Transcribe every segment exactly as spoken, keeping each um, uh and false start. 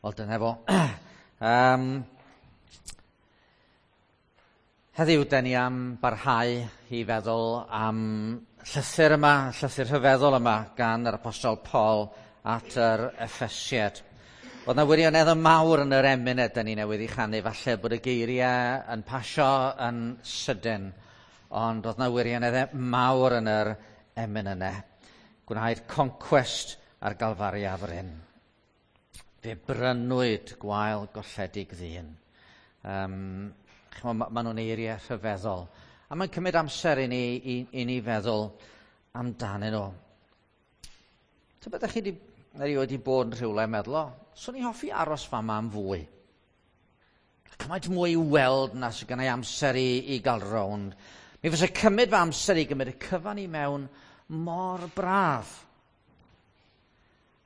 Wel, dyna fo. um, heddiw, den ni am barhau i feddwl am llythyr yma, llythyr rhyfeddol yma gan yr Apostol Paul at yr Effesiad. Oedd na wirionedd mawr yn yr emyn ydyn ni newydd ei chanu, falle bod y geiriau yn pasio yn sydyn, ond oedd na wirionedd mawr yn yr emyn yna. Gwnaed concwest ar Galfaria fryn. Fe brynwyd gwael golledig ddyn. Um, chimo, ma, ma nhw'n eiriau rhyfeddol. A mae'n cymryd amser i ni, i, i ni feddwl amdanyn nhw. Tybed ydych chi wedi erioed wedi bod yn rhywle yn meddwl, o, swn i hoffi aros fama am fwy. Cymaint mwy i weld na sydd gennau amser i, i gael rownd. Mi fysa cymryd fy amser i gymryd y cyfan i mewn mor braf.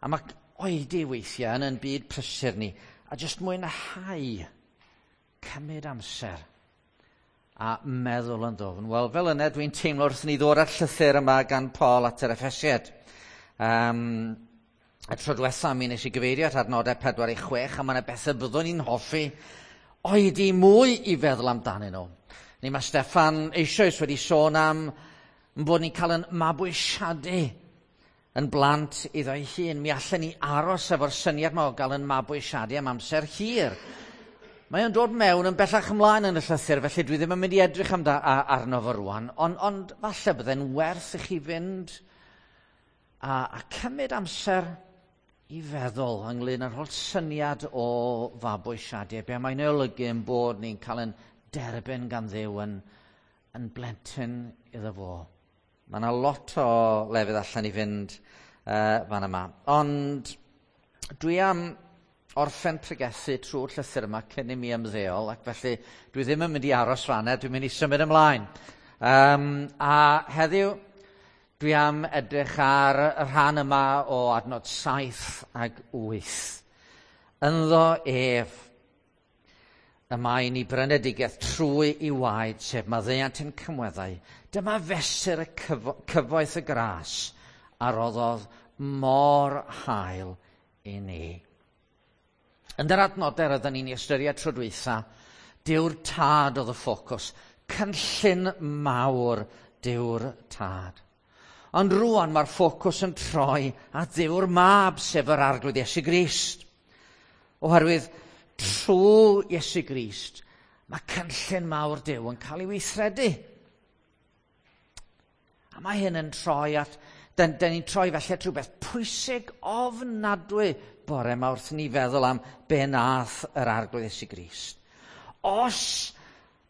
A mae oedi weithiau yn yn byd prysur ni, a jyst mwynhau cymryd amser a meddwl yn ddofn. Wel, fel yna dwi'n teimlo wrth ni ddod ar llythyr yma gan Paul at yr Effesiad. Um, y tro diwetha mi nes i gyfeirio at adnodau pedwar i chwech, a mae yna bethau byddwn ni'n hoffi oedi mwy i feddwl amdanyn nhw. Ni mae Steffan eisoes wedi sôn am bod ni'n cael yn mabwysiadu yn blant iddo ei hun. Mi allan ni aros efo'r syniad yma o gael yn mabwysiadu am amser hir. Mae o'n dod mewn yn bellach ymlaen yn y llythyr, felly dwi ddim yn mynd i edrych amda, a, arno fo rwan, ond, ond falle bydde'n werth i chi fynd a, a cymryd amser i feddwl ynglyn â'r holl syniad o fabwysiadu, be mae'n ei olygu yn bod ni'n cael yn derbyn gan Dduw yn, yn blentyn iddo fo. Mae yna lot o lefydd allan i fynd uh, fan yma. Ond dwi am orffen pregethu trwy'r llythyr yma cyn i mi ymddeol, ac felly dwi ddim yn mynd i aros fanna, dwi'n mynd i symud ymlaen. Um, a heddiw dwi am edrych ar y rhan yma o adnod saith ag wyth. Ynddo ef y mae ni brynedigaeth trwy i waed, sef maddeuant ein cymweddau. Dyma fesur y cyfo cyfoeth y gras a roddodd mor hael i ni. Yn yr adnodau rydyn ni'n ystyried tro dwytha, Duw'r Tad oedd y ffocws, cynllun mawr Duw'r Tad. Ond rwan mae'r ffocws yn troi at Dduw'r Mab, sef yr Arglwydd Iesu Grist. Oherwydd trwy Iesu Grist, mae cynllun mawr Duw yn cael ei weithredu. A mae hyn yn troi at, dyn, dyn ni'n troi felly at rhywbeth pwysig ofnadwy bore yma wrth ni feddwl am be nath yr Arglwydd Iesu Grist. Os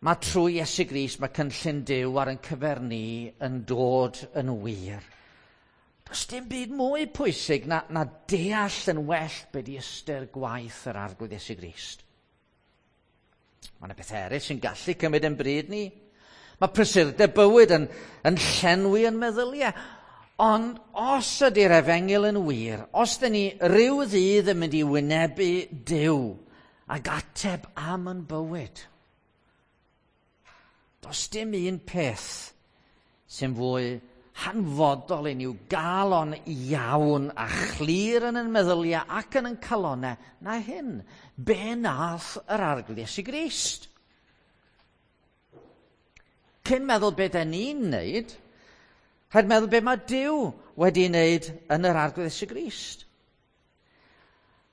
mae trwy Iesu Grist mae cynllun Duw ar ein cyfer ni yn dod yn wir, does dim byd mwy pwysig na, na deall yn well be di ystyr gwaith yr Arglwydd Iesu Grist. Mae yna bethau eraill sy'n gallu cymryd yn bryd ni. Mae prysurdeb bywyd yn, yn llenwi yn meddyliau. Ond os ydy'r efengyl yn wir, os dyn ni ryw ddydd yn mynd i wynebu Duw ac ateb am yn bywyd, does dim un peth sy'n fwy hanfodol i ni i'w gael o'n iawn a chlir yn ein meddyliau ac yn ein calonau na hyn. Be nath yr Arglwydd Iesu Grist? Cyn meddwl be da ni'n neud, rhaid meddwl be mae Duw wedi wneud yn yr Arglwydd Iesu Grist.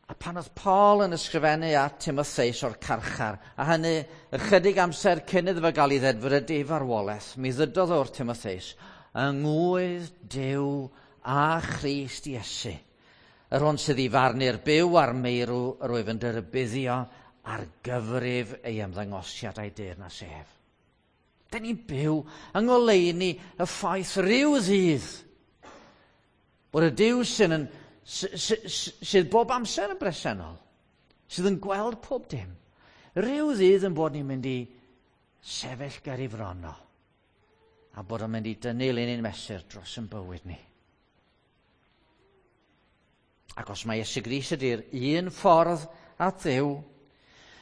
A pan oedd Paul yn ysgrifennu at Timotheus o'r carchar, a hynny ychydig amser cyn iddo fo gael ei ddedfrydu i farwolaeth, mi ddydodd o'r Timotheus, yng ngwydd Duw a Christ Iesu, yr hwn sydd i farnu'r byw a'r meirw, yr wyf yn dyrybuddio ar gyfrif ei ymddangosiad a'i deyrnas ef. Dyn ni'n byw yng ngoleuni y ffaith rhyw ddydd bod y Duw sydd, yn, sydd bob amser yn bresennol, sydd yn gweld pob dim, rhyw ddydd yn bod ni'n mynd i sefyll ger ei fron o, a bod o'n mynd i dynnu linyn mesur dros yn bywyd ni. Ac os mae Iesu Grist ydy'r un ffordd at Dduw,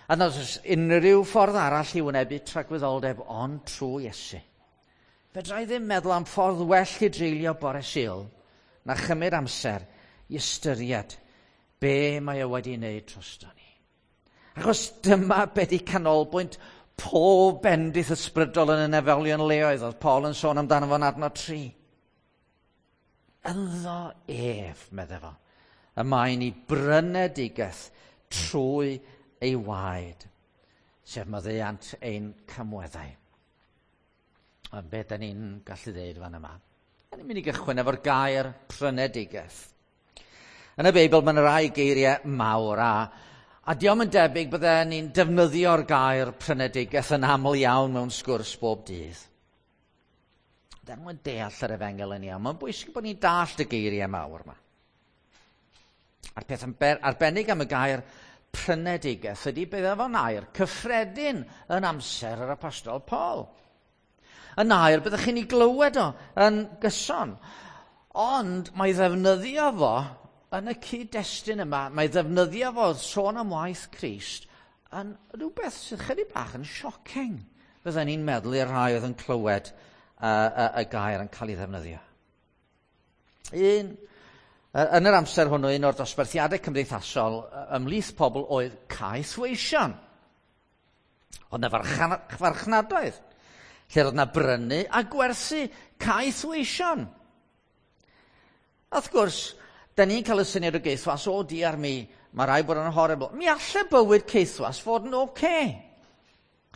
a nad oes unrhyw ffordd arall i wynebu tragwyddoldeb ond trwy Iesu, fedra i ddim meddwl am ffordd well i dreulio bore Sul na chymryd amser i ystyried Be mae o wedi wneud drosto ni. Achos dyma be di canolbwynt pob bendith ysbrydol yn y nefolion leoedd, oedd Paul yn sôn amdano fo'n adnod tri. Ynddo ef, medde fo, y mae ni brynedigaeth trwy ei waed, sef maddeuant ein camweddau. Ond be da ni'n gallu ddeud fan yma? Da ni'n mynd i gychwyn efo'r gair prynedigaeth. Yn y Beibl mae yna rai geiriau mawr a, a diom yn debyg bydde ni'n defnyddio'r gair prynedigaeth yn aml iawn mewn sgwrs bob dydd. Da ni'n deall yr efengyl yn iawn. Mae'n bwysig bod ni'n dallt y geiriau mawr yma. A'r peth arbennig am y gair prynedigaeth ydy bydde fo'n air cyffredin yn amser yr Apostol Paul. Yn air byddech chi'n ei glywed o yn gyson. Ond mae ddefnyddio fo yn y cyd-destun yma, mae ddefnyddio fo sôn am waith Crist yn rhywbeth sydd chydig bach yn shocking. Bydden ni'n meddwl i'r rhai oedd yn clywed uh, y, y gair yn cael ei ddefnyddio. Un, yn yr amser hwnnw, un o'r dosbarthiadau cymdeithasol ymhlith pobl oedd caethweision. Oedd yna farchnadoedd, lle roedd yna brynu a gwerthu caethweision. Wrth gwrs, da ni'n cael y syniad o geithwas, o diar mi, mae rai bod yn horrible. Mi alle bywyd caethwas fod yn oce. Okay.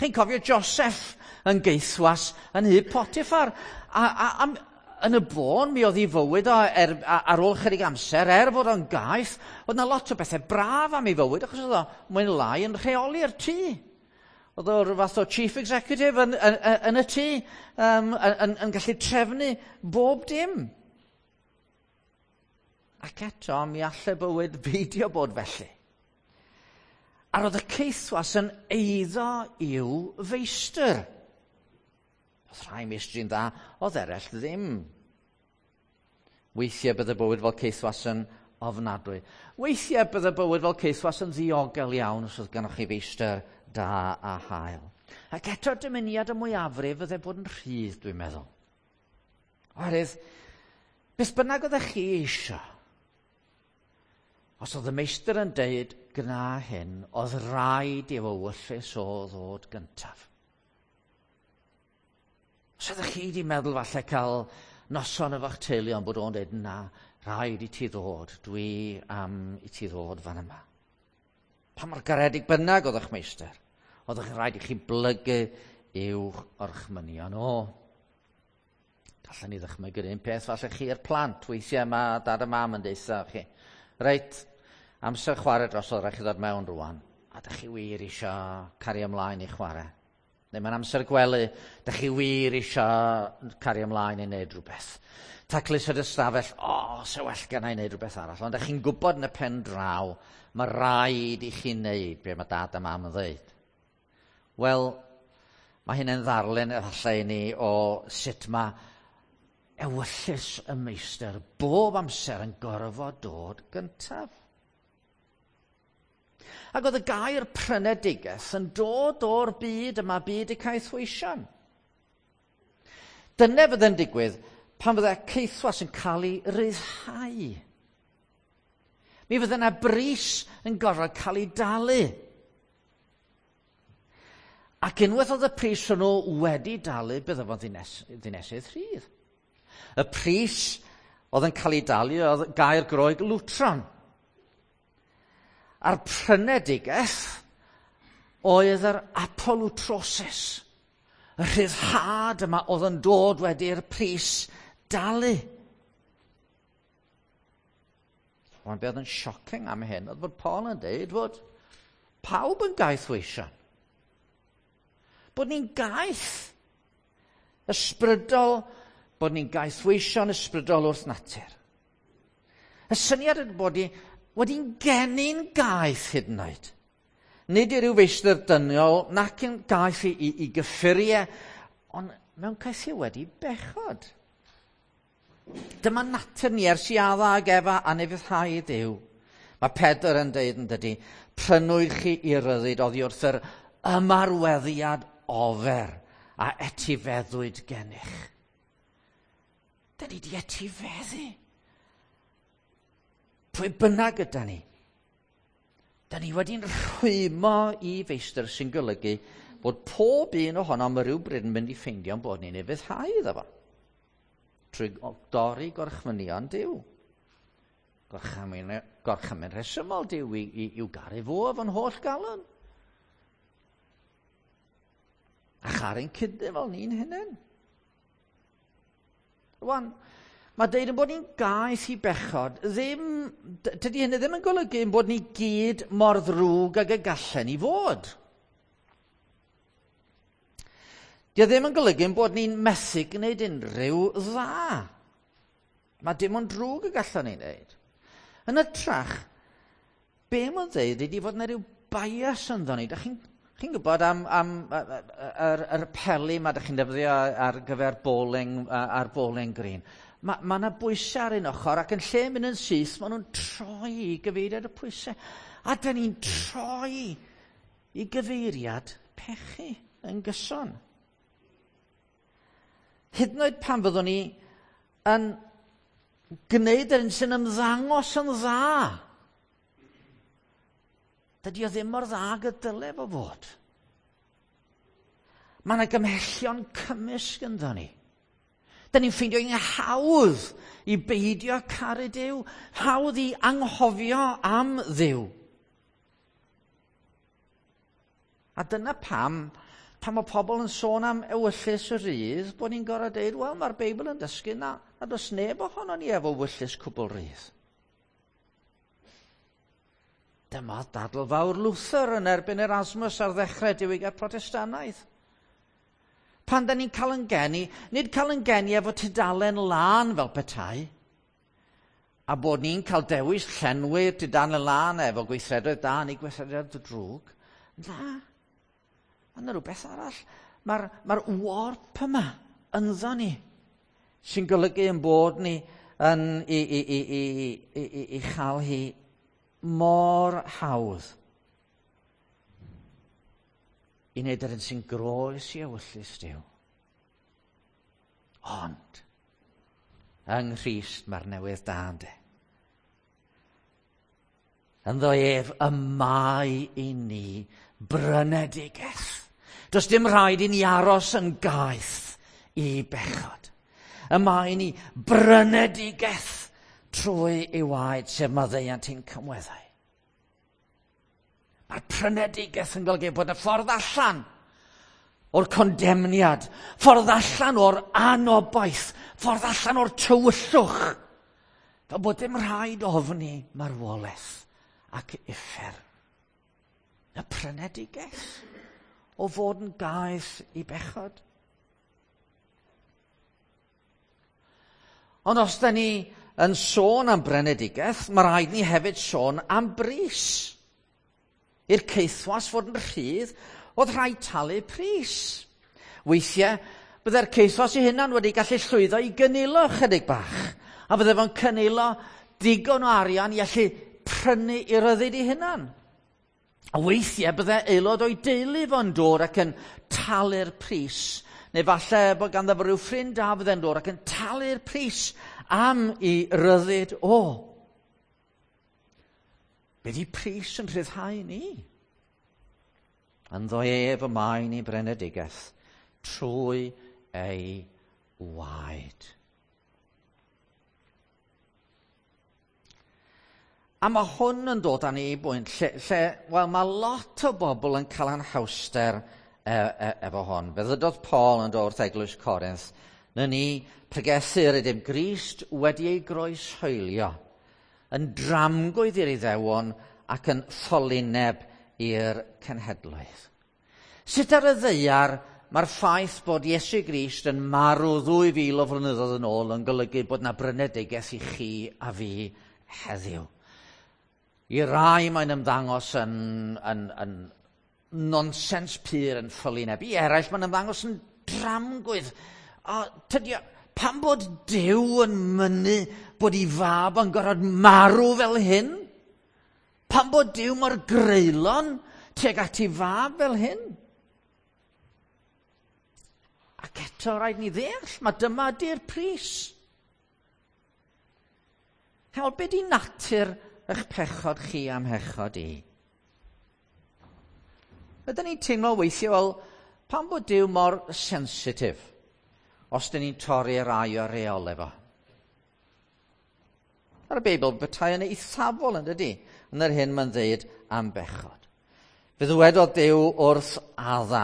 Chi'n cofio Joseph yn geithwas yn nhŷ Potiphar. A, a, a, yn y bôn, mi oedd ei fywyd o er, ar ôl chydig amser, er fod o'n gaeth, oedd yna lot o bethau braf am ei fywyd, achos oedd o mwy neu lai yn rheoli'r tŷ. Oedd o rhyw fath o chief executive yn, yn, yn, yn y tŷ, um, yn, yn, yn gallu trefnu bob dim. Ac eto, mi alle bywyd beidio bod felly. A roedd y caethwas yn eiddo i'w feistr. Oedd rhai meistri'n dda, oedd eraill ddim. Weithiau bydde bywyd fel caethwas yn ofnadwy. Weithiau bydde bywyd fel caethwas yn ddiogel iawn os oedd gennych chi feistr da a hael. Ac eto dymuniad y mwyafrif fydde bod yn rhydd, dwi'n meddwl. Oherwydd, beth bynnag oeddech chi eisiau, os oedd y meistr yn deud gwna hyn, oedd rhaid i ewyllys o ddod gyntaf. Os oeddech chi wedi meddwl falle cael noson efo'ch teulu ond bod o'n deud na, rhaid i ti ddod, dwi am i ti ddod fan yma. Pa mor garedig bynnag oedd eich meistr, oedd eich rhaid i chi blygu i'w orchmynion o. Gallen ni ddychmygu'r un peth falle chi i'r plant, weithiau mae dad a mam yn deutha chi. Reit, amser chwarae drosodd, rhaid chi ddod mewn rwan. A dych chi wir eisiau cario ymlaen i chwarae. Neu mae'n amser gwely, dych chi wir eisiau cario ymlaen i wneud rhywbeth. Taclus yr ystafell, o, oh, se well gen i wneud rhywbeth arall. Ond dych chi'n gwybod yn y pen draw, mae rhaid i chi wneud be mae dad a mam yn dweud. Wel, mae hynny'n ddarlun efallai i ni o sut mae ewyllys y meistr bob amser yn gorfod dod gyntaf. Ac oedd y gair prynedigaeth yn dod o'r byd yma, byd y caethweision. Dyna fydd yn digwydd pan fydde caethwas yn cael ei ryddhau. Mi fydde yna bris yn gorfod cael ei dalu. Ac unwaith oedd y pris hwnnw wedi dalu, bydde fo'n ddynes, ddinesydd rhydd. Y pris oedd yn cael ei dalu oedd gair Groeg lwtron. A'r prynedigaeth oedd yr apolutrosis. Y rhyddhad yma oedd yn dod wedi'r pris dalu. Ond beth oedd yn shocking am hyn oedd bod Paul yn deud fod pawb yn gaethweision. Bod ni'n gaeth ysbrydol, bod ni'n gaethweision ysbrydol wrth natur. Y syniad ydy bod ni wedi'n geni'n gaeth hyd yn oed. Nid i ryw feistr dynol, nac yn gaeth i, i, i gyffuriau, ond mewn caethiwed wedi bechod. Dyma natur ni ers i Adda ag Efa anufuddhau Duw. Mae Pedr yn deud yn dydy, prynwyd chi i ryddid oddi wrth yr ymarweddiad ofer a etifeddwyd gennych. Da ni di etifeddu. Pwy bynnag yda ni. Da ni wedi'n rhwymo i feistr sy'n golygu bod pob un ohonom rhyw bryd yn mynd i ffeindio'n bod ni'n ufuddhau iddo fo. Trwy dorri gorchmynion Duw. Gorchymyn, gorchymyn rhesymol Duw i, i, i'w garu fo efo'n holl galon. A charu'n cydyn fel ni'n hunain. Rwan, mae deud yn bod ni'n gaeth i bechod, ddim, dydy hynny ddim yn golygu yn bod ni gyd mor ddrwg ag y gallen ni fod. Dio ddim yn golygu yn bod ni'n methu gwneud unrhyw dda. Mae dim ond drwg y gallen ni wneud. Yn hytrach, be mae'n dweud ydy fod yna rhyw bias ynddo ni. Dach chi'n chi'n gwybod am, am yr, yr peli ma dach chi'n defnyddio ar gyfer bowling, ar bowling green. Mae ma yna bwysau ar un ochr ac yn lle mynd yn syth, maen nhw'n troi i gyfeiriad y pwysau. A dyn ni'n troi i gyfeiriad pechu yn gyson. Hyd yn oed pan fyddwn ni yn gwneud yr un sy'n ymddangos yn dda, dydy o ddim mor dda ag y dyle fo fod. Mae yna gymhellion cymysg ynddo ni. Da ni'n ffeindio hi'n hawdd i beidio caru Duw, hawdd i anghofio am Dduw. A dyna pam, pan mae pobl yn sôn am ewyllys rydd, bod ni'n gorfod deud, wel, mae'r Beibl yn dysgu na, na does neb ohono ni efo ewyllys cwbl rydd. Dyma dadl fawr Luther yn erbyn Erasmus ar ddechrau diwygiad Protestannaidd. Pan da ni'n cael yn geni, nid cael yn geni efo tudalen lân fel petai, a bod ni'n cael dewis llenwi'r tudalen lân efo gweithredoedd da neu gweithredoedd drwg. Na, mae yna rhywbeth arall. Mae'r mae'r warp yma ynddo ni, sy'n golygu yn bod ni yn i, i, i, i, i, i, i chael hi mor hawdd i wneud yr un sy'n groes i ewyllys Duw. Ond, yng Nghrist mae'r newydd da ynde. Ynddo ef y mae i ni brynedigaeth. Does dim rhaid i ni aros yn gaeth i bechod. Y mae i ni brynedigaeth trwy ei waed, sef maddeuant ein cymweddau. Mae'r prynedigaeth yn golygu bod y ffordd allan o'r condemniad, ffordd allan o'r anobaith, ffordd allan o'r tywyllwch, fel bod dim rhaid ofni marwolaeth ac uffern. Y prynedigaeth o fod yn gaeth i bechod. Ond os da ni yn sôn am brynedigaeth, mae rhaid ni hefyd sôn am bris. I'r caethwas fod yn rhydd, oedd rhaid talu pris. Weithiau, byddai'r caethwas ei hunan wedi gallu llwyddo i gynilo chydig bach, a bydde fo'n cynilo digon o arian i allu prynu i ryddid ei hunan. A weithiau, byddai aelod o'i deulu fo'n dod ac yn talu'r pris, neu falle bod ganddo fo rhyw ffrind da fydde'n dod ac yn talu'r pris am i ryddid o. Be di pris yn rhyddhau ni? Ynddo ef y mae ni brynedigaeth trwy ei waed. A mae hwn yn dod â ni i bwynt lle, lle wel, mae lot o bobl yn cael anhawster e, e, efo hwn. Fe ddydodd Paul yn dod wrth Eglwys Corinth, na ni pregethu yr ydym Grist wedi ei groeshoelio, yn dramgwydd i'r Iddewon ac yn ffolineb i'r cenhedloedd. Sut ar y ddaear mae'r ffaith bod Iesu Grist yn marw ddwy fil o flynyddoedd yn ôl yn golygu bod na brynedigaeth i chi a fi heddiw. I rai mae'n ymddangos yn, yn, yn nonsens pur, yn ffolineb. I eraill mae'n ymddangos yn dramgwydd. A tydi, pam bod Duw yn mynnu bod ei fab yn gorfod marw fel hyn? Pam bod Duw mor greulon tuag at ei fab fel hyn? Ac eto rhaid ni ddeall, mae dyma di'r pris. Hewel, be di natur eich pechod chi am hechod i? Ydyn ni'n teimlo weithio fel pam bod Duw mor sensitif os dyn ni'n torri rai o'r reolau fo? Mae'r Beibl bethau yn eithafol yn dydy, yn yr hyn mae'n dweud am bechod. Fe ddywedodd Duw wrth Adda,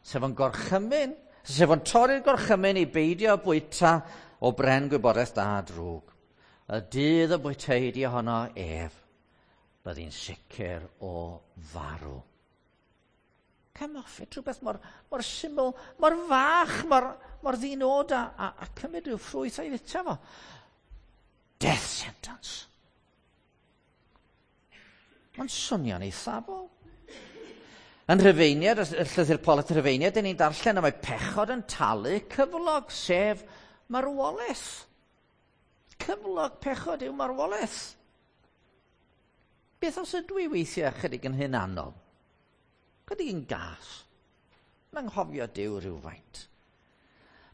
sef yn gorchymyn, sef yn torri'r gorchymyn i beidio bwyta o bren gwybodaeth da a drwg. Y dydd y bwyteid i ohono ef, byddi'n sicr o farw. Come off it, rhywbeth mor, mor syml, mor fach, mor, mor ddinod a, a, a cymryd rhyw ffrwyth a'i fwyta fo. Death sentence. Mae'n swnio'n eithafol. Yn Rhufeiniad, y llythyr Paul at Rhufeiniad, dyn ni'n darllen am mae pechod yn talu cyflog, sef marwolaeth. Cyflog pechod yw marwolaeth. Beth os ydw i weithiau chydig yn hunanol? Chydig yn gas. Mae'n anghofio Duw rhywfaint.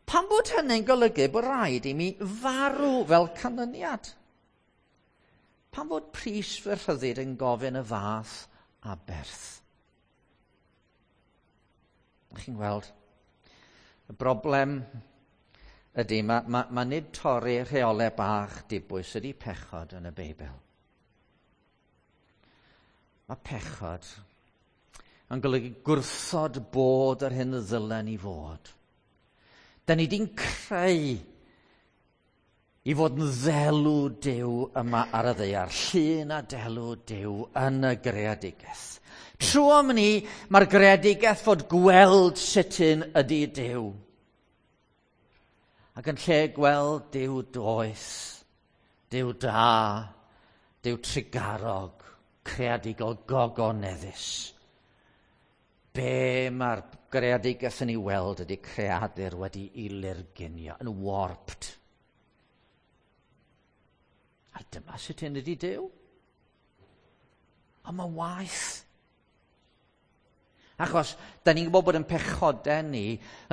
Pam bod hynny'n golygu bod rhaid i mi farw fel canlyniad? Pam bod pris fy rhyddid yn gofyn y fath aberth? Chi'n gweld, y broblem ydy, mae, mae, mae nid torri rheolau bach dibwys ydy pechod yn y Beibl. Mae pechod yn golygu gwrthod bod yr hyn ddylen ni fod. Da ni di'n creu i fod yn ddelw Duw yma ar y ddaear, llun a delw Duw yn y greadigaeth. Trwom ni, mae'r greadigaeth fod gweld sut un ydy Duw. Ac yn lle gweld Duw doeth, Duw da, Duw trugarog, creadigol gogoneddus. Be mae'r greadigaeth yn ei weld ydy creadur wedi ei lurgunio, yn warped. A dyma sut hyn ydy Duw. Ond mae'n waeth. Achos, da ni'n gwybod bod yn pechodau ni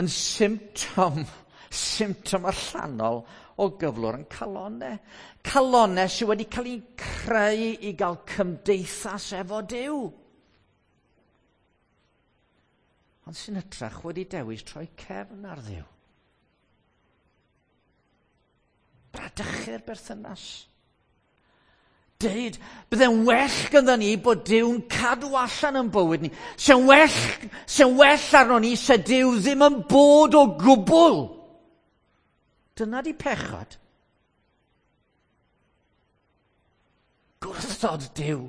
yn symptom, symptom allanol o gyflwr yn calonau. Calonau sydd wedi cael eu creu i gael cymdeithas efo Duw. Ond sy'n hytrach wedi dewis troi cefn ar Dduw. Bradychu'r berthynas. Deud, bydde'n well gyda ni bod Duw'n cadw allan yn bywyd ni. Se'n well, se'n well arno ni se Duw ddim yn bod o gwbl. Dyna di pechod. Gwrthod Duw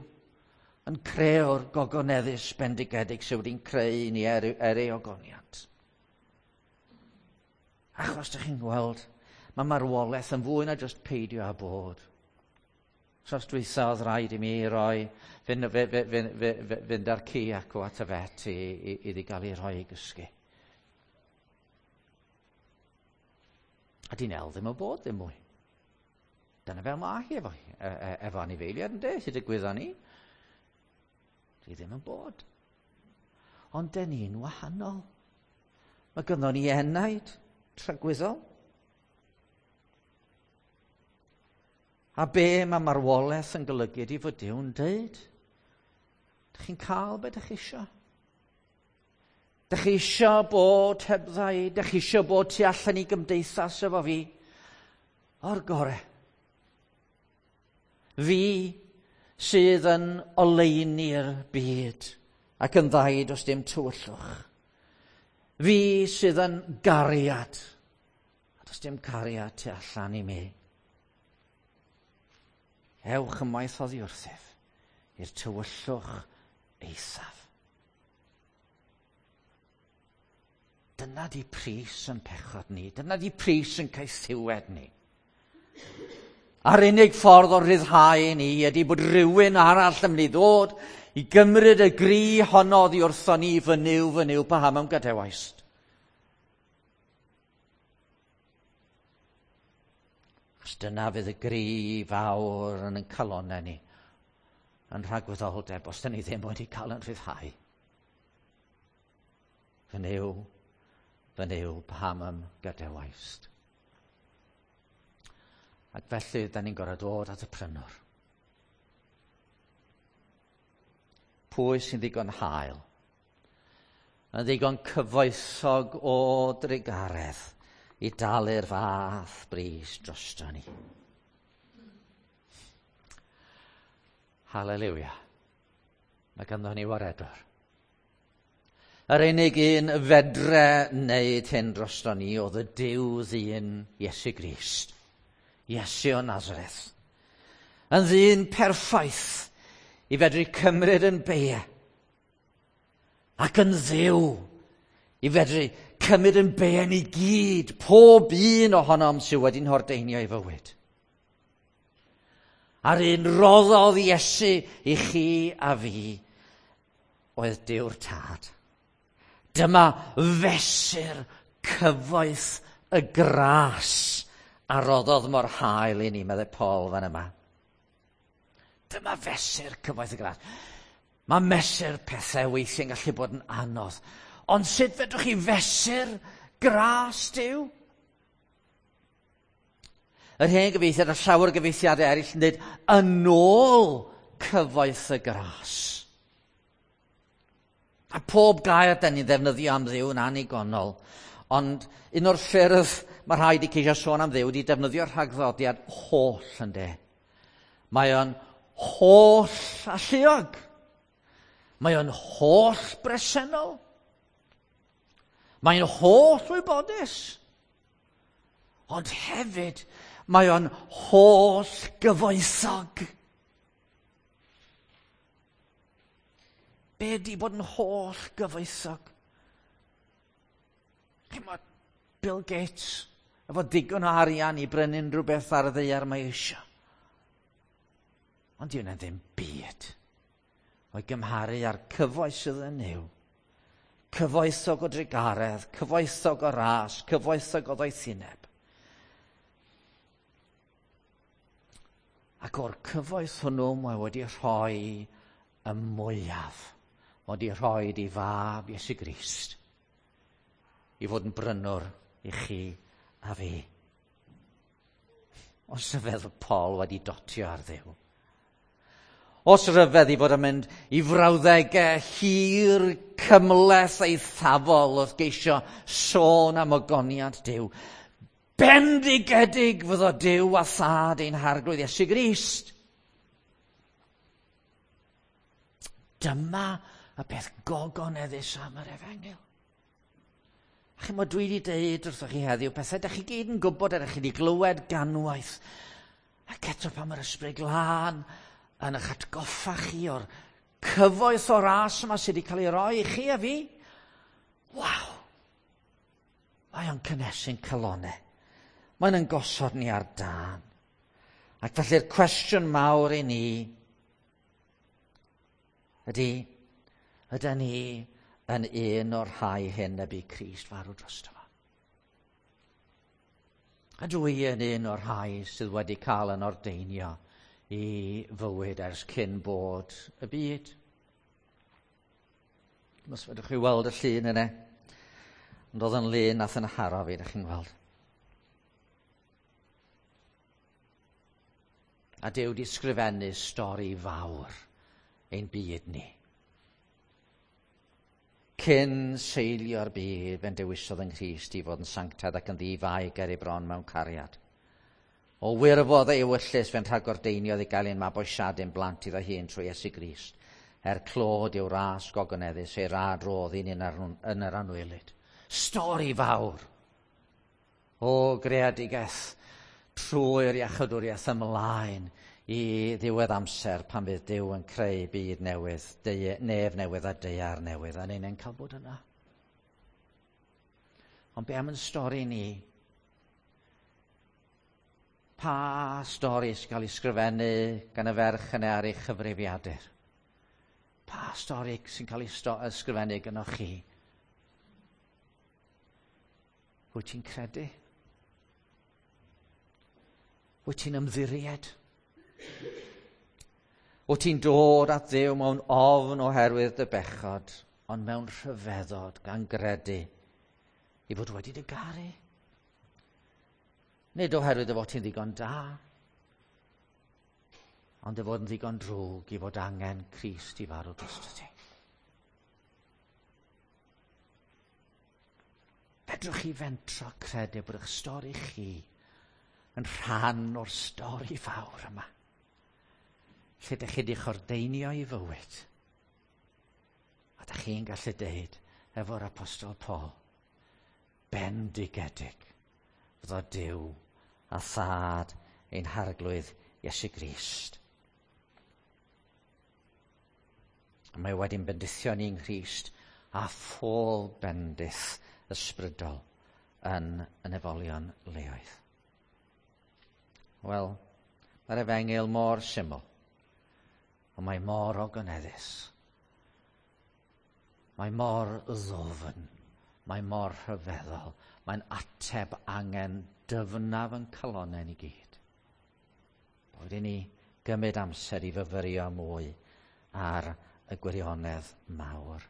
yn creu'r gogoneddus bendigedig sydd wedi'n creu ni er, er ei ogoniant. Achos dych chi'n gweld, mae marwolaeth yn fwy na jyst peidio â bod. Tros dwytha oedd rhaid i mi roi, fynd, fynd, fynd, fynd, fynd â'r ci acw at y vet i, i, iddi gael ei rhoi i gysgu. A di Nel ddim yn bod ddim mwy. Dyna fel mae hi efo, e, e, efo anifeiliaid yn de, sydd digwyddo ni. Di ddim yn bod. Ond den ni'n wahanol. Mae gynnon ni enaid tragwyddol. A be mae marwolaeth yn golygu ydy fod Duw'n deud? Dych chi'n cael be dych chi isio? Dych chi isio bod hebddau? Dych chi isio bod tu allan i gymdeithas efo fi? O'r gore. Fi sydd yn oleuni'r byd ac yn ddaid os dim tywyllwch. Fi sydd yn gariad, a does dim cariad tu allan i mi. Ewch ymaith oddi wrthyf i'r tywyllwch eithaf. Dyna di pris yn pechod ni, dyna di pris yn caethiwed ni. A'r unig ffordd o ryddhau ni ydy bod rhywun arall yn mynd i ddod i gymryd y gri honno oddi wrtho ni, fy Nuw, fy Nuw, paham a'm gadawaist. Achos dyna fydd y gri fawr yn ein calonnau ni, yn rhagwyddoldeb, os dyn ni ddim wedi cael yn rhyddhau. Fy Nuw, fy Nuw, paham a'm gadawaist. Ac felly, da ni'n gorfod dod at y prynwr. Pwy sy'n ddigon hael Yn ddigon cyfoethog o drugaredd i dalu'r fath bris drosto ni. Haleluia. Mae ganddo ni waredwr. Yr unig un fedre wneud hyn drosto ni oedd y Duw ddyn Iesu Grist. Iesu o Nazareth. Yn ddyn perffaith i fedru cymryd yn beie. Ac yn Dduw i fedru cymryd yn beie ni gyd, pob un ohonom sydd wedi'n hordeinio i fywyd. A'r un roddodd Iesu i chi a fi oedd Duw'r Tad. Dyma fesur cyfoeth y gras a roddodd mor hael i ni, meddai Paul fan yma. Dyma fesur cyfoeth y gras. Mae mesur pethau weithiau'n gallu bod yn anodd. Ond sut fedrwch chi fesur gras Duw? Yr hen gyfieithiad a llawer o gyfieithiadau eraill yn dweud yn ôl cyfoeth y gras. A pob gair da ni'n ddefnyddio am Dduw yn annigonol. Ond un o'r ffyrdd mae rhaid i ceisio sôn am Dduw ydy defnyddio'r rhagddodiad holl, ynde. Mae o'n holl alluog. Mae o'n holl bresennol. Mae'n holl wybodus. Ond hefyd, mae o'n holl gyfoethog. Be ydy bod yn holl gyfoethog? Chimod, Bill Gates, efo digon o arian i brynu unrhyw beth ar y ddaear mae eisiau. Ond dyw hwnna ddim byd o'i gymharu â'r cyfoeth sydd yn Nuw. Cyfoethog o drugaredd, cyfoethog o ras, cyfoethog o ddoethineb. Ac o'r cyfoeth hwnnw mae wedi rhoi y mwyaf. Mae wedi rhoi i fab Iesu Grist i fod yn brynwr i chi a fi. Os ryfedd Paul wedi dotio ar Dduw. Os ryfedd i fod yn mynd i frawddegau hir, cymhleth eithafol wrth geisio sôn am ogoniant Duw. Bendigedig fyddo Duw a Thad ein Harglwydd Iesu Grist. Dyma y peth gogoneddus am yr efengyl. A chimod, dwi wedi deud wrthoch chi heddiw pethau da chi gyd yn gwybod a da chi wedi glywed ganwaith. Ac eto pan mae'r Ysbryd Glân yn eich atgoffa chi o'r cyfoeth o ras yma sydd wedi cael ei roi i chi a fi. Waw! Mae o'n cynnesu'n calonau. Mae'n yn gosod ni ar dân. Ac felly'r cwestiwn mawr i ni ydy, ydy ni yn un o'r rhai hyn y bu Crist farw drosto fo? Ydw i yn un o'r rhai sydd wedi cael yn ordeinio i fywyd ers cyn bod y byd? Os fedrwch chi weld y llun yna, ond oedd yn lun nath yn haro fi, ydych chi'n gweld. A Duw di sgrifennu stori fawr ein byd ni. Cyn seilio'r byd, fe'n dewisodd yng Nghrist i fod yn sanctaidd ac yn ddi-fai ger ei bron mewn cariad. O wirfodd ei ewyllys fe'n rhagordeiniodd i gael ein mabwysiadu'n blant iddo hun trwy Iesu Grist, er clod i'w ras gogoneddus, ei rad rodd un yn yr anwylyd. Stori fawr o greadigaeth trwy'r iachawdwriaeth ymlaen i ddiwedd amser pan fydd Duw yn creu byd newydd, nef newydd a daear newydd, a ni'n cael bod yna. Ond be am yn stori ni? Pa stori sy'n cael ei sgrifennu gan y ferch yna ar ei chyfrifiadur? Pa stori sy'n cael ei ysgrifennu gynoch chi? Wyt ti'n credu? Wyt ti'n ymddiried? Wyt ti'n dod at Dduw mewn ofn oherwydd dy bechod, ond mewn rhyfeddod gan gredu i fod wedi dy garu? Nid oherwydd dy fod ti'n ddigon da, ond dy fod yn ddigon drwg i fod angen Crist i farw drosto ti. Fedrwch chi fentro credu bod eich stori chi yn rhan o'r stori fawr yma? Lle ydych chi wedi'ch ordeinio i fywyd. A ydych chi'n gallu deud efo'r Apostol Paul, bendigedig fyddo Duw a Thad ein Harglwydd Iesu Grist. Mae wedi'n bendithio ni'n Nghrist a phob bendith ysbrydol yn y nefolion leoedd. Wel, mae'r efengyl mor syml, ond mae mor ogoneddus. Mae mor ddofn, mae mor rhyfeddol, mae'n ateb angen dyfnaf yn calonnau ni gyd. Boed i ni gymryd amser i fyfyrio mwy ar y gwirionedd mawr